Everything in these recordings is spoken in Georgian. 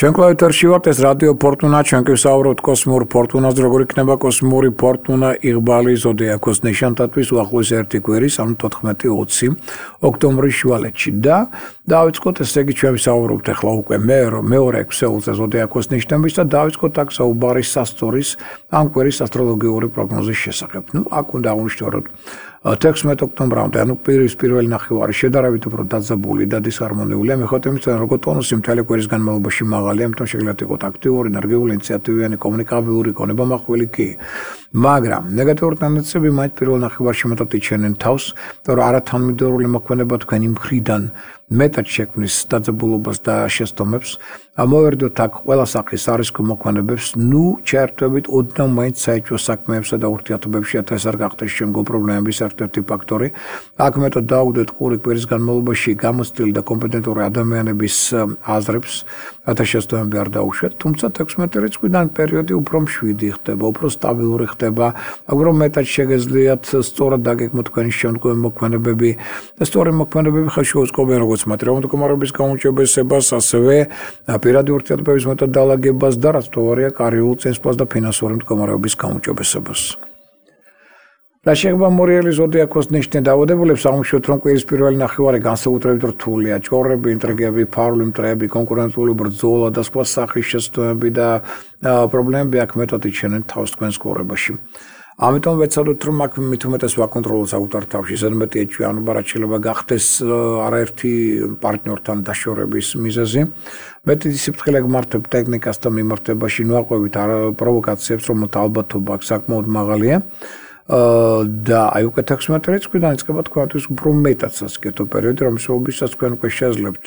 ჩვენ კლავიატურში ვართ ეს რადიო ფორტუნა, ჩვენ კი ვსაუბრობთ კოსმიურ ფორტუნაზე, როგორ იქნება კოსმიური ფორტუნა იღბალი ზოდიაქოს ნიშანთათვის უახლოეს ერთი კვირის, ანუ 14-20 ოქტომბრის შუალედში და დავიწყოთ ესე იგი ჩვენ ვსაუბრობთ ახლა უკვე მეორე ქსეულზე ზოდიაქოს ნიშნების და დავიწყოთ აქ საუბარი სასწორის ამ კვირის ასტროლოგიური პროგნოზის შესახებ. აქ უნდა აღნიშნოთ 16 ოქტომბრამდე, ანუ კვირის პირველი ნახევარი შედარებით უფრო დაძაბული და დისჰარმონიულია, მიუხედავად იმისა, რომ ტონუსი მთელი კვირის განმავლობაში მაღალია, ამიტომ შეგვიძლია იყოს აქტიური, ენერგიული, ინიციატივიანი, კომუნიკაბელური, კონებამახვილი კი. მაგრამ ნეგატიური ტენდენციები მაინც პირველ ნახევარში მეტად იჩენენ თავს, რომ არათანმიმდევრული მოქმედება თქვენი მხრიდან მეტად შექმნის დაძაბულობას და შესტომებს. მოვერდოთ აქ ყველა სახის არისკო მოქმედებებს, ჩაერთვებით ოდნავ მაინც საეჭვო საქმეებსა და ურთიერთობებში, ეს არ გახდეს შემდგომ პრობლემების ერთ-ერთი ფაქტორი. აქ მეტად დაუგდეთ ყური კვირის განმავლობაში გამოცდილი და კომპეტენტური ადამიანების აზრებს, შესტომები არ დაუშვათ, თუმცა 16 რიცხვიდან პერიოდი უფრო მშვიდი ხდება, უფრო სტაბილური ხდება, მაგრამ მეტად შეგეძლიათ სწორად დაგეგმოთ თქვენი შემდგომი მოქმედებები და სწორი მოქმედებები ხელში უწყობენ როგორც მატერიალური მდგომარეობის გაუმჯობესებას, ასევე პირადი ურთიერთობების მეტად დალაგებას და რაც თვარია კარიერულ წინსვლას და ფინანსური მდგომარეობის გაუმჯობესებას. რა შეეხება მორიელი ზოდიაქოს ნიშნის დაავადებულებს, აღმოჩნდით, რომ კვირის პირველი ნახევარი განსაკუთრებით რთულია. ჭორები, ინტრიგები, ფარული მტრეები, კონკურენტული ბრძოლა და სხვა სახის შეცდომები და პრობლემები აქ მეტად იჩენენ თავს თქვენს ცხოვრებაში. ამიტომ ვეცადოთ, რომ აქ მით უმეტეს ვაკონტროლოთ საკუთარ თავში, ზედმეტი ეჭვიანობა, რაც შეიძლება გახდეს არაერთი პარტნიორთან დაშორების მიზეზი. მეტი სიფრთხილე გმართებ ტექნიკას და მიმართებაში, ნუაყვებით პროვოკაციებს, რომელთა ალბათობა აქ საკმაოდ მაღალია. და აი უკვე 16 რიცხვიდან იწყება თქვენთვის უფრო მეტად სასიკეთო პერიოდი, რომელსაც თქვენ უკვე შეძლებთ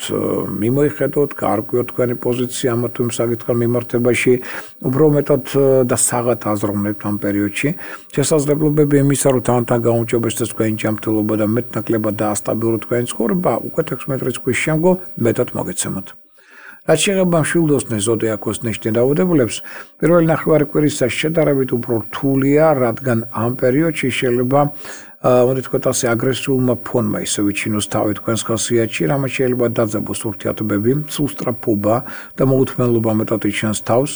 მიმოიხედოთ, გაარკვიოთ თქვენი პოზიცია ამა თუ იმ საკითხთან მიმართებაში, უფრო მეტად და საღად აზროვნებთ ამ პერიოდში. შესაძლებლობები იმისა, რომ თანთან გაუმჯობესდეს თქვენი ჯანმრთელობა და მეტნაკლებად დაასტაბილუროთ თქვენი ცხოვრება, უკვე 16 რიცხვის შემდგომ მეტად მოგეცემოთ. რაც შეეხება მშვილდოსნეს ზოდიაქოს ნიშნის დაავადებულებს, პირველი ნახევარი კვირისა შედარებით უფრო რთულია, რადგან ამ პერიოდში შეიძლება უნდა თქვათ ასე აგრესიულმა ფონმა ისე ვიჩინოს თავი თქვენს ხასიათში, რამაც შეიძლება დაძაბოს ურთიერთობები, სულსწრაფობა და მოუთმენლობა მეტად იჩენს თავს,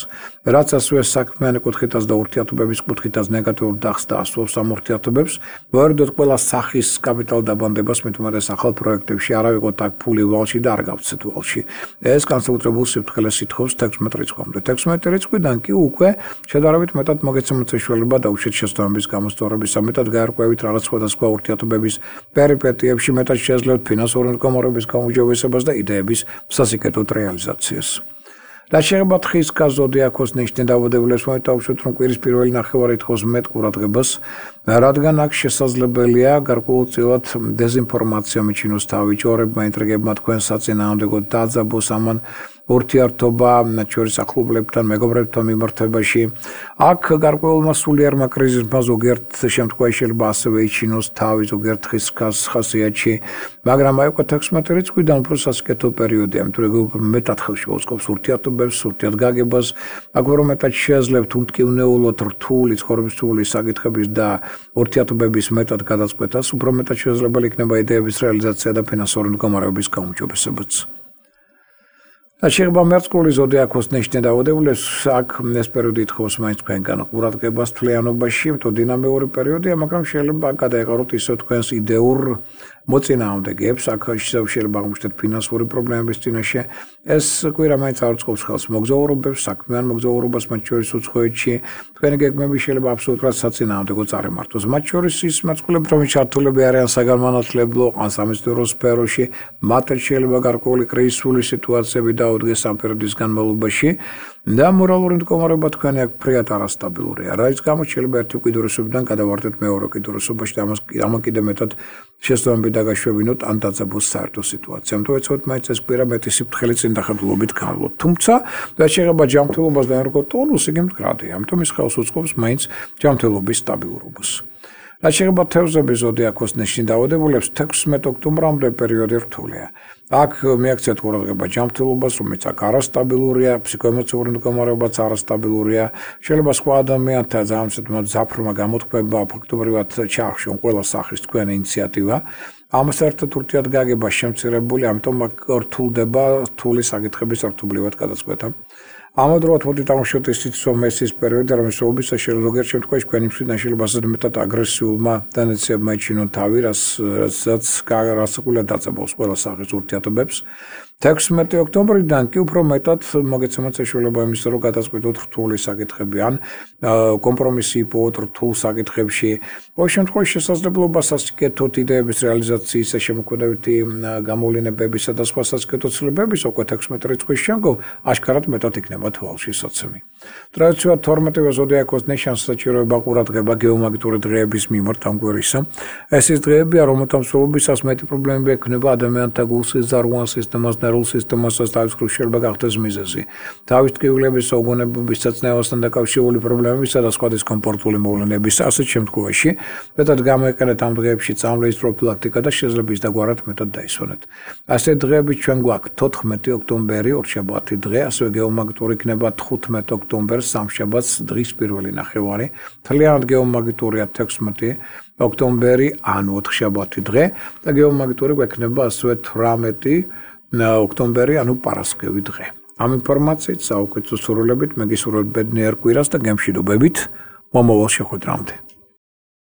რაც ასევე საქმიანი კუთხითაც და ურთიერთობების კუთხითაც ნეგატიურ დახს დაასვავს ამ ურთიერთობებს. მოვერდოთ ყველა სახის კაპიტალ დაბანდებას, მით უმეტეს ახალ პროექტებში, არა ვიყოთ აქ ფული ვალში და არ გავცეთ ვალში. ეს განსაკუთრებულ სიფრთხილეს ითხოვს 16 რიცხვამდე. 16 რიცხვიდან კი უკვე შედარებით მეტად მოგეცემოთ საშუალება დაუშვათ შესაბამის გამოსწორებისა, მეტად გაარკვევით რაღაც სხვადასხვა ურთიერთობების პერიპეტიებში, მეტად შეძლებთ ფინანსური მდგომარეობის გაუმჯობესებას და იდეების სასიკეთო რეალიზაციას. რაც შეეხება თხის ზოდიაქოს ნიშნის დაავადებულებს, მოვიტოვოთ, რომ კვირის პირველი ნახევარი ითხოვს მეტ ყურადღებას, რადგან აქ შესაძლებელია გარკვეულწილად დეზინფორმაცია მიჩინოს თავი, ჭორებმა, ინტრიგებმა თქვენ საწინააღმდეგოდ დააძაბოს ამან ურთიერთობა, მათ შორის ახლობლებთან, მეგობრებთან მიმართებაში. აქ გარკვეულმა სულიერმა კრიზისმა ზოგიერთ შემთხვევაში შეიძლება ასევე იჩინოს თავი ზოგიერთ ხასიათში, მაგრამ აი უკვე 16 რიცხვიდან უფრო სასიკეთო პერიოდია, იმიტომ რომ მეტად ხელში უწყობს ურთიერთობებს, ურთიერთგაგებას, აქ უფრო მეტად შეეძლებთ უმტკივნეულოდ რთული ცხოვრებისეული საკითხების და ურთიერთობების მეტად გადაწყვეტას, უფრო მეტად შესაძლებელი იქნება იდეების რეალიზაცია და ფინანსური მდგომარეობის გაუმჯობესებაც. შეეხება მერწყული ზოდიაქოს ნიშნის დაავადებულებს, აქ ეს პერიოდი ითხოვს მაინც თქვენგან ყურადღებას თვლიანობაში, იმიტომ დინამიური პერიოდია, მაგრამ შეიძლება გადაეყაროთ ისე თქვენს იდეურ მოწინააღმდეგეებს, აქ შეიძლება აღმოჩნდეთ ფინანსური პრობლემების წინაშე. ეს კვირა მაინც არ უწყობს ხელს მოგზაურობებს, საქმიან მოგზაურობას, მათ შორის უცხოეთში. თქვენი გეგმები შეიძლება აბსოლუტურად საწინააღმდეგო წარიმართოს. მათ შორის ის მერწყულები, რომლის ჩართულები არიან საგანმანათლებლო ან სამეცნიერო სფეროში, მათაც შეიძლება გარკვეული კრიზისული სიტუაციები დაუდგეს ამ პერიოდის განმავლობაში და მორალური მდგომარეობა თქვენი აქ ფრიად არასტაბილურია. რის გამოც შეიძლება ერთი უკიდურესობიდან გადავარდეთ მეორე უკიდურესობაში და ამან კიდევ მეტად შესაბამები დაგაშვებინოთ ან დაძაბოს საერთო სიტუაცია. ამიტომ ეცოთ მაინც ეს კვირა მეტი სიფრთხილე წინ დახედულობით განვლოთ. თუმცა რაც შეეხება ჯანმრთელობას და ენერგოტონუსს, იგი მდგრადია. ამიტომ ის ხელს უწყობს მაინც ჯანმრთელობის სტაბილურობას. რაც შეეხება თევზების ზოდიაქოს ნიშნის დაავადებულებს, 16 ოქტომბრამდე პერიოდი რთულია. აქ მიაქცეთ ყურადღება ჯანმრთელობას, რომელიც აქ არასტაბილურია, ფსიქოემოციური მდგომარეობაც არასტაბილურია. შეიძლება სხვა ადამიანთა ძალიან მძაფრმა გამოთქმებმა ფაქტობრივად ჩაახშონ ყველა სახის თქვენი ინიციატივა. ამას ერთად ურთიერთ გაგება შემცირებული, ამიტომ რთულდება რთული საკითხების რთულობრივად გადაწყვეტა. ამავდროულად მოდით დავუშვათ ისიც მესის პერიოდი, რომელიც ობისაში ზოგიერთ შემთხვევაში თქვენი მშვიდნაშილობასაც მეტად აგრესიულმა ტენდენციებმა იჩინონ თავი, რასაც გასაგულად დაწებავს ყველა სახის ურთიერთობებს. 16 ოქტომბრიდან კი უფრო მეტად მოგეცემათ საშუალება იმისა, რომ გადაწყვეტოთ რთული საკითხები ან კომპრომისი იპოვოთ რთულ საკითხებში. ყოველ შემთხვევაში შესაძლებლობას ასკეთოთ იდეების რეალიზაციის შემოქმედებითი გამოვლენებებისა და სხვა სასკეთო ცვლილებების უკვე 16 რიცხვის შემდგომ აშკარად მეტად იქნება თვალში საცემი. ტრადიციულად 12-ვე ზოდიაქოს ნიშანს საჭიროება ყურადღება გეომაგნიტური დღეების მიმართ ამ კვირისა. ეს ის დღეებია, რომელთა მსვლელობისას მეტი პრობლემები ექნება ადამიანთა გულსის ზარღვან სისტემას და ნერვულ სისტემასაც თავის მხრივ შეიძლება გახდეს მიზეზი. თავის ტკივილების, საგონებების, საწნევასთან დაკავშირებული პრობლემებისა და სხვა დისკომფორტული მოვლენების ასეთ შემთხვევაში მეტად გამოიყენეთ ამ დღეებში წამლის პროფილაქტიკა და შეიძლება ის დაგვარად მეტად დაისვენეთ. ასეთ დღეებით ჩვენ გვაქვს 14 ოქტომბერი, ორშაბათი დღე, ასევე გეომაგნიტური იქნება 15 ოქტომბერს, სამშაბათს დღის პირველი ნახევარი. მთლიანად გეომაგნიტურია 16 ოქტომბერი, ანუ ოთხშაბათი დღე და გეომაგნიტური გვექნება ასევე 18 ოქტომბერი, ანუ პარასკევი დღე. ამ ინფორმაციით საუკეთესო სურვილებით მე გისურვებთ ბედნიერ კვირას და გემშვიდობებით მომავალ შეხვედრამდე.